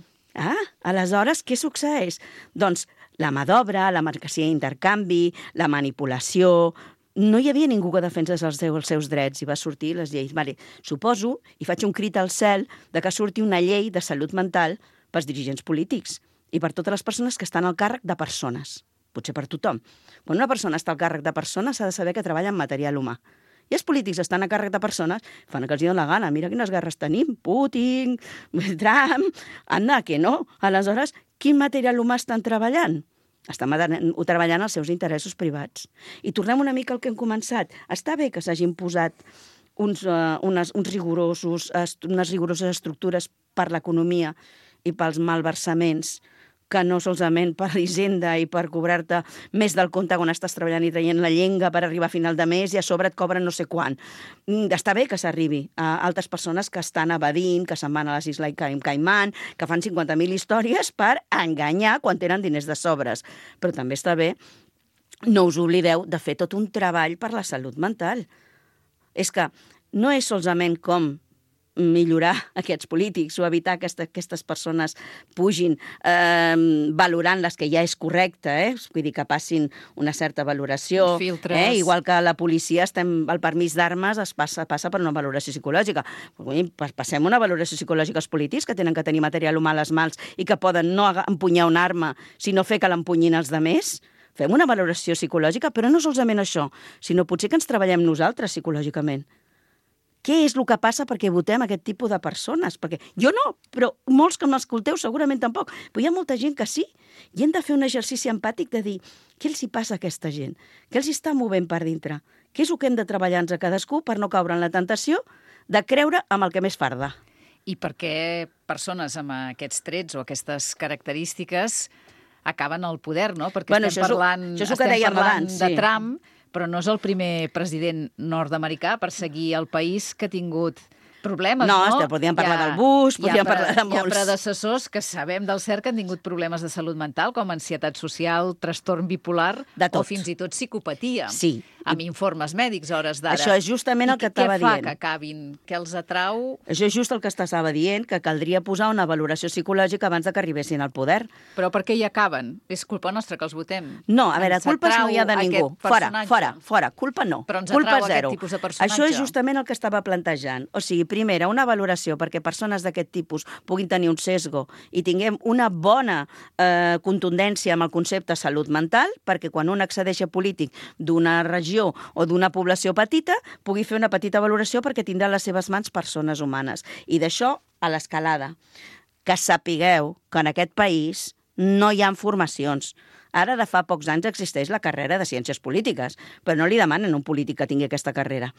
Speaker 6: Aleshores, què succeeix? Doncs la mà d'obra, la mercancia d'intercanvi, la manipulació... No hi havia ningú que defensés els seus drets i va sortir les lleis. Vale, suposo, i faig un crit al cel, de que surti una llei de salut mental pels dirigents polítics i per totes les persones que estan al càrrec de persones. Potser per tothom. Quan una persona està al càrrec de persones s'ha de saber que treballa en material humà. I els polítics estan a càrrec de persones, fan el que els dona la gana. Mira quines guerres tenim, Putin, Trump, anda, que no. Aleshores, quin material humà estan treballant? Estan treballant els seus interessos privats. I tornem una mica al que hem començat. Està bé que s'hagin posat unes rigoroses estructures per l'economia i pels malversaments, que no solament per l'Hisenda i per cobrar-te més del compte quan estàs treballant i traient la llenga per arribar a final de mes i a sobre et cobren no sé quan. Està bé que s'arribi a altres persones que estan evadint, que se'n van a les Isles Caimán, que fan 50.000 històries per enganyar quan tenen diners de sobres. Però també està bé, no us oblideu de fer tot un treball per la salut mental. És que no és solament com millorar aquests polítics o evitar que aquestes persones pugin valorant les que ja és correcte, vull dir que passin una certa valoració. Igual que la policia, el permís d'armes passa per una valoració psicològica. Passem una valoració psicològica als polítics que tenen que tenir material humà a les mans i que poden no empunyar una arma, sinó fer que l'empunyin els demés. Fem una valoració psicològica, però no solament això, sinó potser que ens treballem nosaltres psicològicament. Què és el que passa perquè votem aquest tipus de persones? Perquè jo no, però molts que m'escolteu segurament tampoc. Però hi ha molta gent que sí. I hem de fer un exercici empàtic de dir què els hi passa a aquesta gent? Què els està movent per dintre? Què és el que hem de treballar-nos a cadascú per no caure en la tentació de creure amb el que més farda?
Speaker 1: I per què persones amb aquests trets o aquestes característiques acaben al poder, no? Perquè estem parlant de Trump, però no és el primer president nord-americà per seguir el país que ha tingut problemes, no?
Speaker 6: No, podríem parlar del Bush, podríem parlar de molts.
Speaker 1: Hi ha predecessors que sabem del cert que han tingut problemes de salut mental, com ansietat social, trastorn bipolar o fins i tot psicopatia.
Speaker 6: Sí.
Speaker 1: Amb informes mèdics a hores d'ara.
Speaker 6: Això és justament el que estava dient.
Speaker 1: Què fa que acabin? Què els atrau?
Speaker 6: Això és just el que estava dient, que caldria posar una valoració psicològica abans de que arribessin al poder.
Speaker 1: Però per què hi acaben? És culpa nostra que els votem?
Speaker 6: No, a veure, culpes no hi ha de ningú. Fora, culpa no.
Speaker 1: Però ens
Speaker 6: culpa
Speaker 1: atrau
Speaker 6: zero.
Speaker 1: Aquest tipus de personatge.
Speaker 6: Això és justament el que estava plantejant. O sigui, primera, una valoració perquè persones d'aquest tipus puguin tenir un sesgo i tinguem una bona contundència amb el concepte salut mental, perquè quan un accedeix a polític d'una regió regió o d'una població petita pugui fer una petita valoració perquè tindrà a les seves mans persones humanes. I d'això a l'escalada. Que sapigueu que en aquest país no hi ha formacions. Ara, de fa pocs anys, existeix la carrera de Ciències Polítiques, però no li demanen a un polític que tingui aquesta carrera.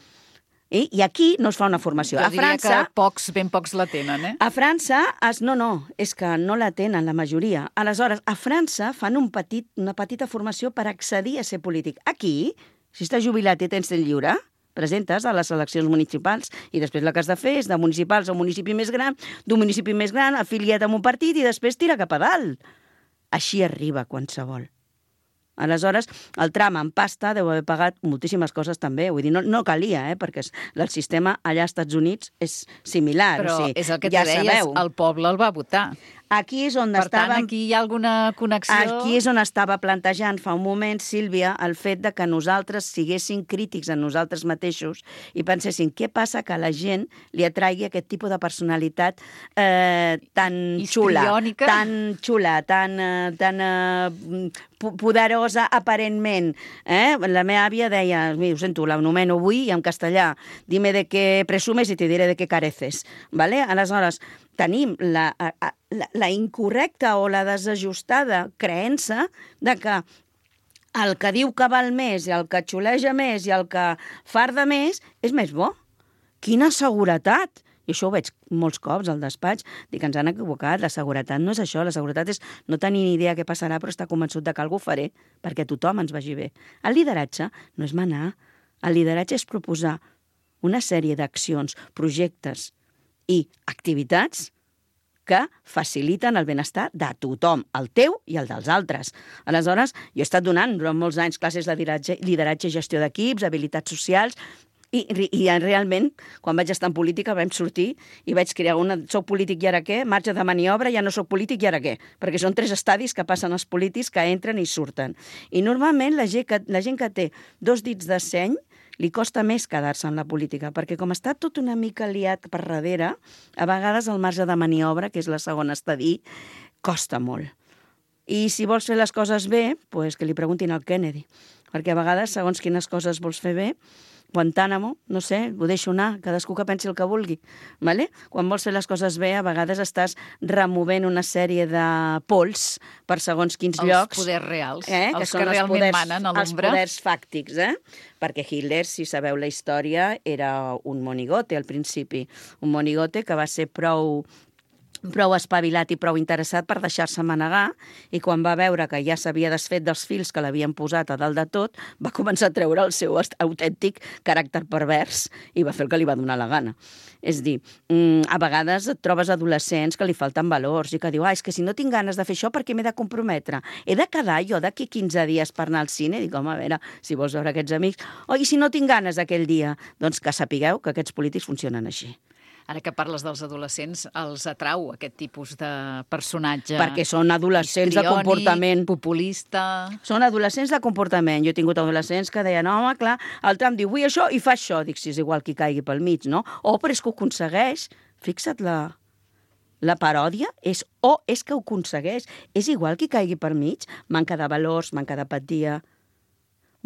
Speaker 6: I aquí no es fa una formació.
Speaker 1: Jo diria que ben pocs la tenen, eh?
Speaker 6: A França, no, és que no la tenen la majoria. Aleshores, a França fan una petita formació per accedir a ser polític. Aquí, si estàs jubilat i tens temps lliure, presentes a les eleccions municipals i després el que has de fer és de municipals a un municipi més gran, d'un municipi més gran, afiliat amb un partit i després tira cap a dalt. Així arriba qualsevol. Aleshores, el tram en pasta deu haver pagat moltíssimes coses també. Vull dir, no calia, perquè el sistema allà als Estats Units és similar.
Speaker 1: Però
Speaker 6: o sigui,
Speaker 1: és el que ja deies, sabeu. El poble el va votar.
Speaker 6: Aquí és on
Speaker 1: per tant, aquí hi ha alguna connexió...
Speaker 6: Aquí és on estava plantejant fa un moment, Sílvia, el fet de que nosaltres siguéssim crítics en nosaltres mateixos i penséssim què passa que a la gent li atraigui aquest tipus de personalitat tan xula, tan poderosa aparentment. La meva àvia deia, ho sento, l'anomeno avui en castellà, dime de què presumes i te diré de què careces. ¿Vale? Aleshores, tenim la incorrecta o la desajustada creença de que el que diu que val més i el que xuleja més i el que farda més és més bo. Quina seguretat! I això ho veig molts cops al despatx, dic que ens han equivocat, la seguretat no és això, la seguretat és no tenir ni idea què passarà però estar convençut de que alguna cosa faré perquè tothom ens vagi bé. El lideratge no és manar, el lideratge és proposar una sèrie d'accions, projectes i activitats que faciliten el benestar de tothom, el teu i el dels altres. Aleshores, jo he estat donant durant molts anys classes de lideratge i gestió d'equips, habilitats socials, i realment, quan vaig estar en política, vam sortir i vaig crear soc polític i ara què? Marge de maniobra, ja no soc polític i ara què? Perquè són 3 estadis que passen els polítics que entren i surten. I normalment la gent que té 2 dits de seny li costa més quedar-se en la política, perquè com està tot una mica liat per darrere, a vegades el marge de maniobra, que és la segona estadi, costa molt. I si vols fer les coses bé, doncs que li preguntin al Kennedy, perquè a vegades, segons quines coses vols fer bé, Guantánamo, no sé, ho deixo anar, cadascú que pensi el que vulgui. Vale? Quan vols fer les coses bé, a vegades estàs removent una sèrie de pols per segons quins llocs.
Speaker 1: Els poders reals,
Speaker 6: els
Speaker 1: que realment manen a l'ombra.
Speaker 6: Els poders fàctics, perquè Hitler, si sabeu la història, era un monigote al principi. Un monigote que va ser prou espavilat i prou interessat per deixar-se manegar, i quan va veure que ja s'havia desfet dels fils que l'havien posat a dalt de tot, va començar a treure el seu autèntic caràcter pervers i va fer el que li va donar la gana. És dir, a vegades et trobes adolescents que li falten valors i que diu, és que si no tinc ganes de fer això, per què m'he de comprometre? He de quedar jo d'aquí 15 dies per anar al cine? Dic, home, a veure, si vols veure aquests amics... I si no tinc ganes aquell dia? Doncs que sapigueu que aquests polítics funcionen així.
Speaker 1: Ara que parles dels adolescents, els atrau aquest tipus de personatge?
Speaker 6: Perquè són adolescents de comportament.
Speaker 1: Populista...
Speaker 6: Són adolescents de comportament. Jo he tingut adolescents que deien, home, clar, el tram diu, vull això i fa això. Dic, si és igual qui caigui pel mig, no? Però és que ho aconsegueix. Fixa't, la paròdia és que ho aconsegueix. És igual qui caigui per mig. Manca de valors, manca d'apatia.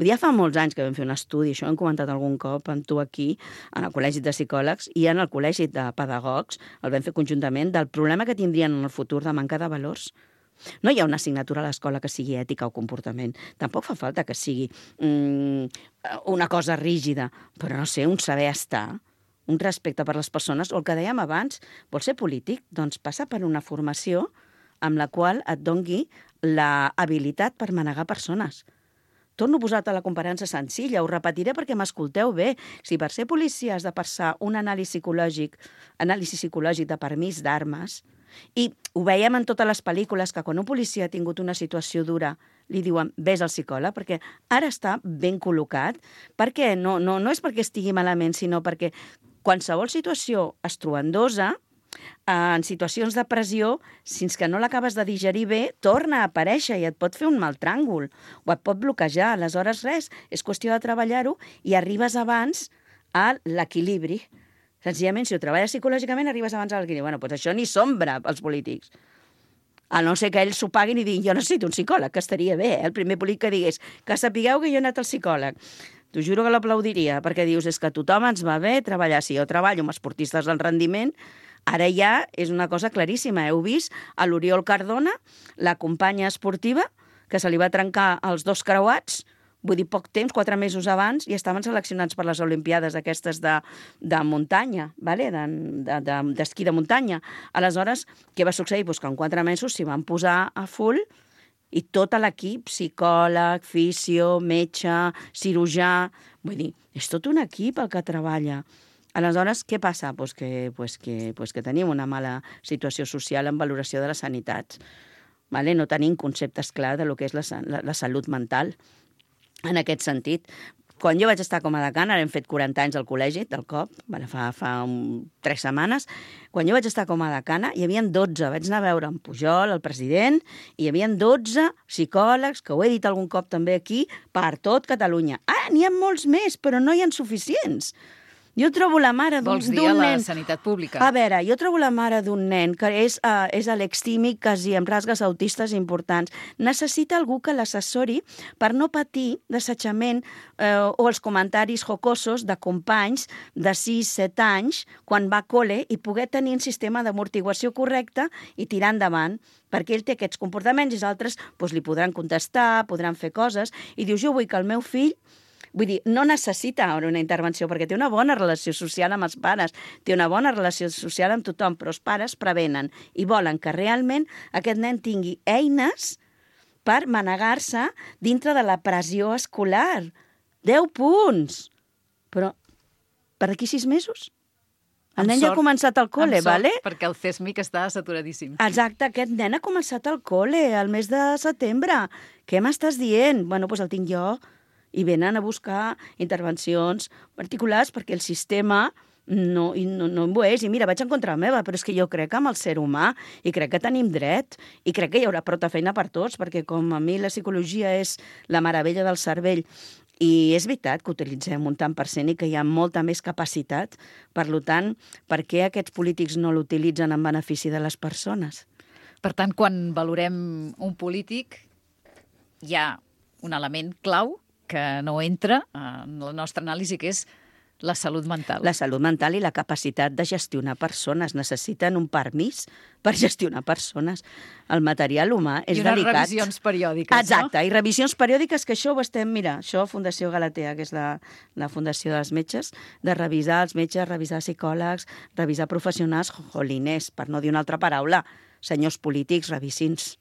Speaker 6: Ja fa molts anys que vam fer un estudi, això ho hem comentat algun cop amb tu aquí, en el Col·legi de Psicòlegs i en el Col·legi de Pedagogs, el vam fer conjuntament, del problema que tindrien en el futur de manca de valors. No hi ha una assignatura a l'escola que sigui ètica o comportament. Tampoc fa falta que sigui una cosa rígida, però no sé, un saber estar, un respecte per les persones, o el que dèiem abans, vols ser polític? Doncs passa per una formació amb la qual et dongui l'habilitat per manegar persones. Torno a posar-te la comparança senzilla, ho repetiré perquè m'escolteu bé. Si per ser policia has de passar un anàlisi psicològic de permís d'armes, i ho veiem en totes les pel·lícules, que quan un policia ha tingut una situació dura li diuen, vés al psicòleg, perquè ara està ben col·locat, perquè no és perquè estigui malament, sinó perquè qualsevol situació estruendosa, en situacions de pressió, fins que no l'acabes de digerir bé, torna a aparèixer i et pot fer un mal tràngol, o et pot bloquejar. Aleshores, res, és qüestió de treballar-ho i arribes abans a l'equilibri. Senzillament, si ho treballes psicològicament, arribes abans a l'equilibri. Bueno, doncs això ni sombra pels polítics. A no ser que ells s'ho paguin i diguin, jo necessito un psicòleg, que estaria bé, el primer polític que digués, que sapigueu que jo he anat al psicòleg. T'ho juro que l'aplaudiria, perquè dius, és que a tothom ens va bé treballar. Si jo treballo amb esportistes del rendiment, ara ja és una cosa claríssima. Heu vist a l'Oriol Cardona, la companya esportiva, que se li va trencar els 2 creuats, vull dir, poc temps, 4 mesos abans, i estaven seleccionats per les Olimpiades aquestes de muntanya, vale? D'esquí de muntanya. Aleshores, què va succeir? Pues que en 4 mesos s'hi van posar a full i tot l'equip, psicòleg, fisio, metge, cirurgià... Vull dir, és tot un equip el que treballa. Aleshores, què passa? Pues que tenim una mala situació social en valoració de la sanitat. Vale? No tenim conceptes clars de lo que és la salut mental. En aquest sentit, quan jo vaig estar com a decana, ara hem fet 40 anys al col·legi, del COP, fa 3 setmanes, quan jo vaig estar com a decana, hi havia 12, vaig anar a veure en Pujol, el president, i hi havia 12 psicòlegs, que ho he dit algun cop també aquí, per tot Catalunya. N'hi ha molts més, però no hi ha suficients. Jo trobo la mare d'un nen...
Speaker 1: Vols dir a la sanitat pública?
Speaker 6: A veure, jo trobo la mare d'un nen que és alextímic, quasi amb rasgues autistes importants. Necessita algú que l'assessori per no patir d'assetjament o els comentaris jocosos de companys de 6-7 anys quan va a col·le i poder tenir un sistema d'amortiguació correcte i tirar endavant, perquè ell té aquests comportaments i els altres li podran contestar, podran fer coses, i dius, jo vull que el meu fill... Vull dir, no necessita ara una intervenció, perquè té una bona relació social amb els pares, té una bona relació social amb tothom, però els pares prevenen i volen que realment aquest nen tingui eines per manegar-se dintre de la pressió escolar. 10 punts! Però per aquí 6 mesos? El nen ja ha començat al col·le, vale?
Speaker 1: Perquè el CESMIC està saturadíssim.
Speaker 6: Exacte, aquest nen ha començat al col·le el mes de setembre. Què m'estàs dient? Bueno, doncs el tinc jo. I venen a buscar intervencions particulars perquè el sistema no ho és. I mira, vaig en contra meva, però és que jo crec amb el ser humà i crec que tenim dret i crec que hi haurà prou feina per tots, perquè com a mi la psicologia és la meravella del cervell i és veritat que utilitzem un tant per cent i que hi ha molta més capacitat. Per tant, per què aquests polítics no l'utilitzen en benefici de les persones?
Speaker 1: Per tant, quan valorem un polític, hi ha un element clau que no entra en la nostra anàlisi, que és la salut mental.
Speaker 6: La salut mental i la capacitat de gestionar persones. Necessiten un permís per gestionar persones. El material humà és delicat.
Speaker 1: I unes revisions periòdiques,
Speaker 6: Exacte, no? I revisions periòdiques, que això ho estem... Mira, això Fundació Galatea, que és la fundació dels metges, de revisar els metges, revisar psicòlegs, revisar professionals, joliners, per no dir una altra paraula. Senyors polítics, revisin-se.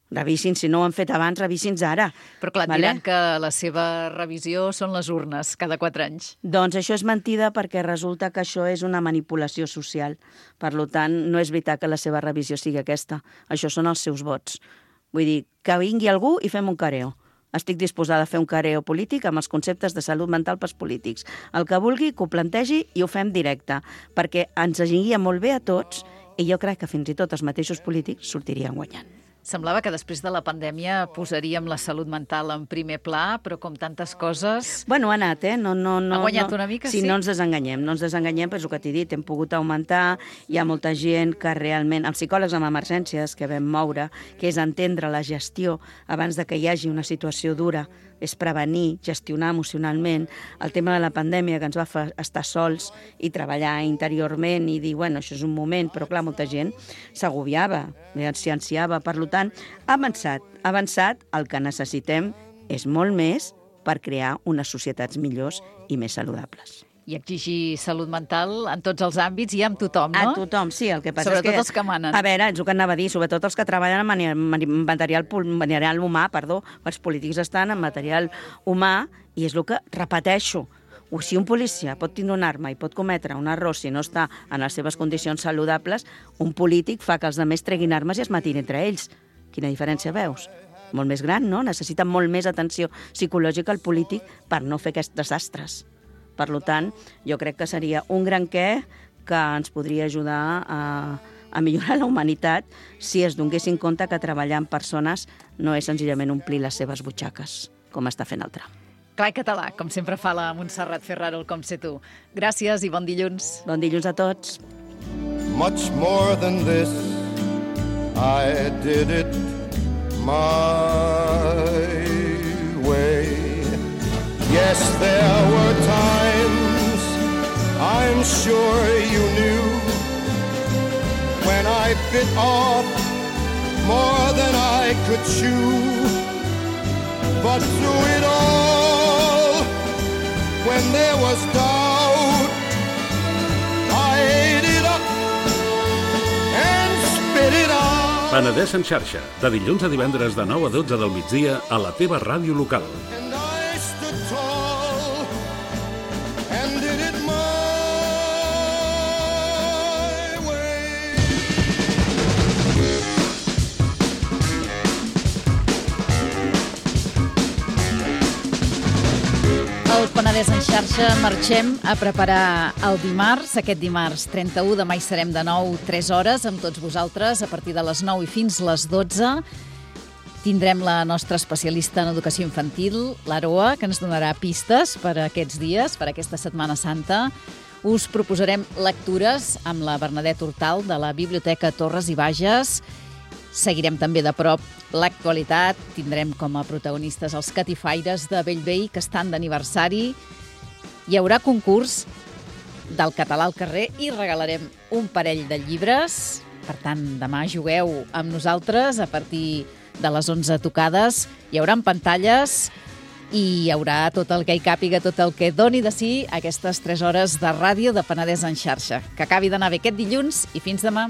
Speaker 6: Revisin, si no ho han fet abans, revisin-nos ara.
Speaker 1: Però clar, diran que la seva revisió són les urnes cada 4 anys.
Speaker 6: Doncs això és mentida, perquè resulta que això és una manipulació social. Per tant, no és veritat que la seva revisió sigui aquesta. Això són els seus vots. Vull dir, que vingui algú i fem un careo. Estic disposada a fer un careo polític amb els conceptes de salut mental pels polítics. El que vulgui, que ho plantegi i ho fem directe, perquè ens aniria molt bé a tots i jo crec que fins i tot els mateixos polítics sortirien guanyant.
Speaker 1: Semblava que després de la pandèmia posaríem la salut mental en primer pla, però com tantes coses...
Speaker 6: Bueno, ha anat,
Speaker 1: Ha guanyat una mica, sí?
Speaker 6: No ens desenganyem, però és el que t'he dit, hem pogut augmentar, hi ha molta gent que realment... Els psicòlegs amb emergències que vam moure, que és entendre la gestió abans de que hi hagi una situació dura, és prevenir, gestionar emocionalment. El tema de la pandèmia, que ens va fer estar sols i treballar interiorment i dir, bueno, això és un moment, però clar, molta gent s'agobiava, s'hi ansiava. Per tant, ha avançat. El que necessitem és molt més per crear unes societats millors i més saludables.
Speaker 1: I exigir salut mental en tots els àmbits i amb tothom, no?
Speaker 6: A tothom, sí. El que passa
Speaker 1: sobretot
Speaker 6: és que...
Speaker 1: els que manen.
Speaker 6: A veure, és el que anava a dir, sobretot els que treballen en material humà, els polítics estan en material humà i és el que repeteixo. O si un policia pot tindre una arma i pot cometre un error si no està en les seves condicions saludables, un polític fa que els altres treguin armes i es matin entre ells. Quina diferència veus? Molt més gran, no? Necessita molt més atenció psicològica el polític per no fer aquests desastres. Per tant, jo crec que seria un gran què que ens podria ajudar a millorar la humanitat si es donguessin compte que treballar amb persones no és senzillament omplir les seves butxaques, com està fent el Trump.
Speaker 1: Clar i català, com sempre fa la Montserrat Ferraro, el Com sé tu. Gràcies i bon dilluns.
Speaker 6: Bon dilluns a tots.
Speaker 5: Much more than this, I did it my way. Yes, Yes, there were times I'm sure you knew when I bit off more than I could chew. But through it all, when there was doubt, I ate it up and spit it out.
Speaker 7: Penedès en xarxa, de dilluns a divendres de 9 a 12 del migdia a la teva ràdio local.
Speaker 5: And I stood tall and did it my way.
Speaker 1: Al Penedès en xarxa marxem a preparar el dimarts. Aquest dimarts 31 de maig serem de nou 3 hores amb tots vosaltres a partir de les 9 i fins les 12. Tindrem la nostra especialista en educació infantil, l'Aroa, que ens donarà pistes per aquests dies, per aquesta Setmana Santa. Us proposarem lectures amb la Bernadette Hortal de la Biblioteca Torres i Bages. Seguirem també de prop l'actualitat. Tindrem com a protagonistes els catifaires de Bellvei, que estan d'aniversari. Hi haurà concurs del català al carrer i regalarem un parell de llibres. Per tant, demà jugueu amb nosaltres a partir de les 11 tocades. Hi haurà pantalles i hi haurà tot el que hi càpiga, tot el que doni de si aquestes 3 hores de ràdio de Penedès en xarxa. Que acabi d'anar bé aquest dilluns i fins demà.